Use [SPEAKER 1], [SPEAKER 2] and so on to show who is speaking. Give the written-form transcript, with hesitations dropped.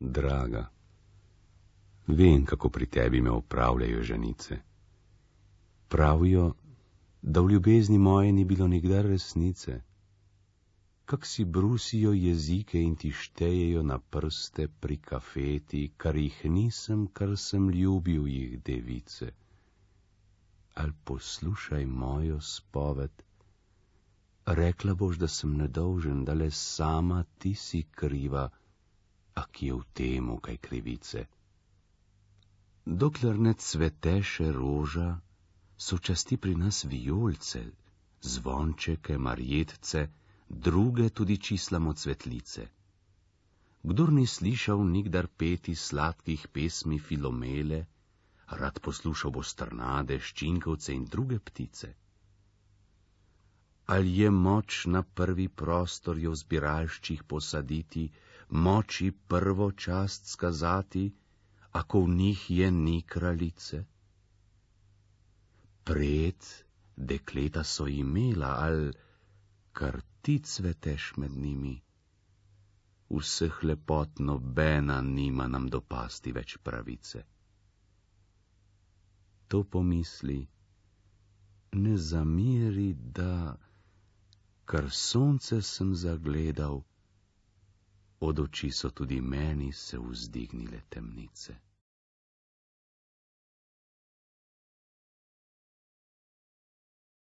[SPEAKER 1] Draga, vem, kako pri tebi me opravljajo ženice. Pravijo, da v ljubezni moje ni bilo nikdar resnice. Kak si brusijo jezike in ti štejejo na prste pri kafeti, kar jih nisem, kar sem ljubil jih device. Al poslušaj mojo spoved, rekla boš, da sem nedolžen, da le sama ti si kriva, a ki je v temu kaj krivice. Dokler ne cvete še roža, so časti pri nas vijolce, zvončeke, marjetce, druge tudi čislamo cvetlice. Kdor ni slišal nikdar peti sladkih pesmi Filomele, rad poslušal bo strnade, ščinkovce in druge ptice. Ali je moč na prvi prostor jo v zbiralščih posaditi, moči prvo čast skazati, ako v njih je ni kraljice? Pred dekleta so imela, al kar ti cveteš med njimi. Vseh lepot nobena nima nam dopasti več pravice. To pomisli, ne zameri, da kar sonce sem zagledal, od oči so tudi meni se vzdignile temnice.